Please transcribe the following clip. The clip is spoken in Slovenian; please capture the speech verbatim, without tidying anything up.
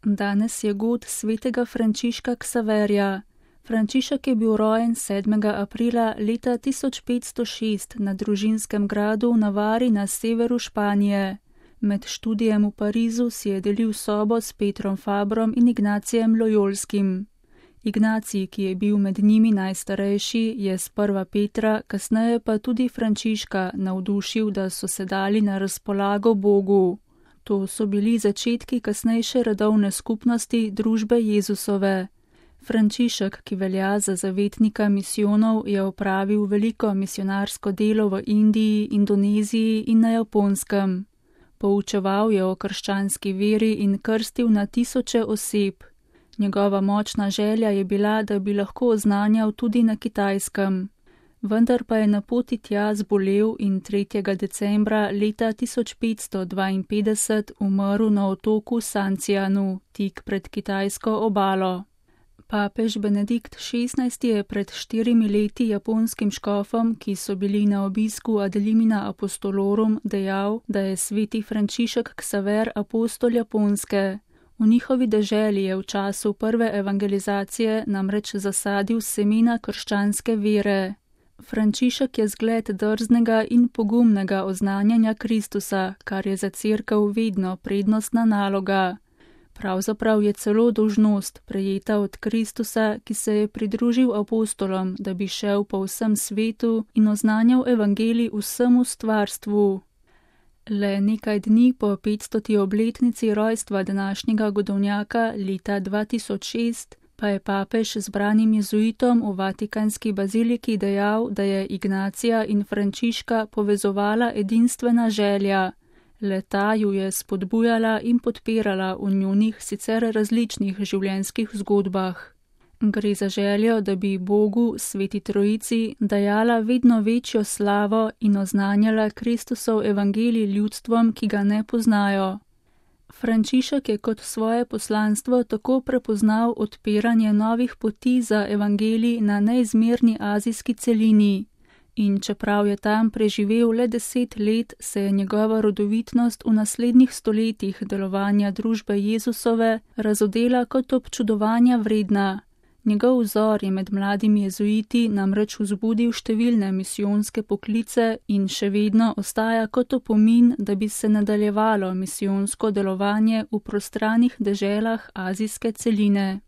Danes je god svetega Frančiška Ksaverja. Frančišek je bil rojen sedmega aprila leta tisoč petsto šest na družinskem gradu v Navari na severu Španije. Med študijem v Parizu si je delil sobo s Petrom Fabrom in Ignacijem Lojolskim. Ignacij, ki je bil med njimi najstarejši, je sprva Petra, kasneje pa tudi Frančiška navdušil, da so se dali na razpolago Bogu. To so bili začetki kasnejše redovne skupnosti družbe Jezusove. Frančišek, ki velja za zavetnika misijonov, je opravil veliko misionarsko delo v Indiji, Indoneziji in na Japonskem. Poučeval je o krščanski veri in krstil na tisoče oseb. Njegova močna želja je bila, da bi lahko oznanjal tudi na Kitajskem. Vendar pa je na poti tja zbolel in tretjega decembra leta tisoč petsto dvainpetdeset umrl na otoku Sancianu, tik pred kitajsko obalo. Papež Benedikt šestnajsti je pred štirimi leti japonskim škofom, ki so bili na obisku ad limina apostolorum, dejal, da je sveti Frančišek Ksaver apostol Japonske. V njihovi deželi je v času prve evangelizacije namreč zasadil semena krščanske vere. Frančišek je zgled drznega in pogumnega oznanjanja Kristusa, kar je za cerkev vedno prednostna naloga. Pravzaprav je celo dolžnost prejeta od Kristusa, ki se je pridružil apostolom, da bi šel po vsem svetu in oznanjal evangelij vsemu stvarstvu. Le nekaj dni po petstoti obletnici rojstva današnjega godovnjaka leta dva tisoč šest pa je papež zbranim jezuitom v Vatikanski baziliki dejal, da je Ignacija in Frančiška povezovala edinstvena želja. Le ta ju je spodbujala in podpirala v njunih sicer različnih življenjskih zgodbah. Gre za željo, da bi Bogu, Sveti Trojici, dajala vedno večjo slavo in oznanjala Kristusov evangelij ljudstvom, ki ga ne poznajo. Frančišek je kot svoje poslanstvo tako prepoznal odpiranje novih poti za evangelij na neizmerni azijski celini. In čeprav je tam preživel le deset let, se je njegova rodovitnost v naslednjih stoletjih delovanja družbe Jezusove razodela kot občudovanja vredna. Njegov vzor je med mladimi jezuiti namreč vzbudil številne misijonske poklice in še vedno ostaja kot opomin, da bi se nadaljevalo misijonsko delovanje v prostranih deželah azijske celine.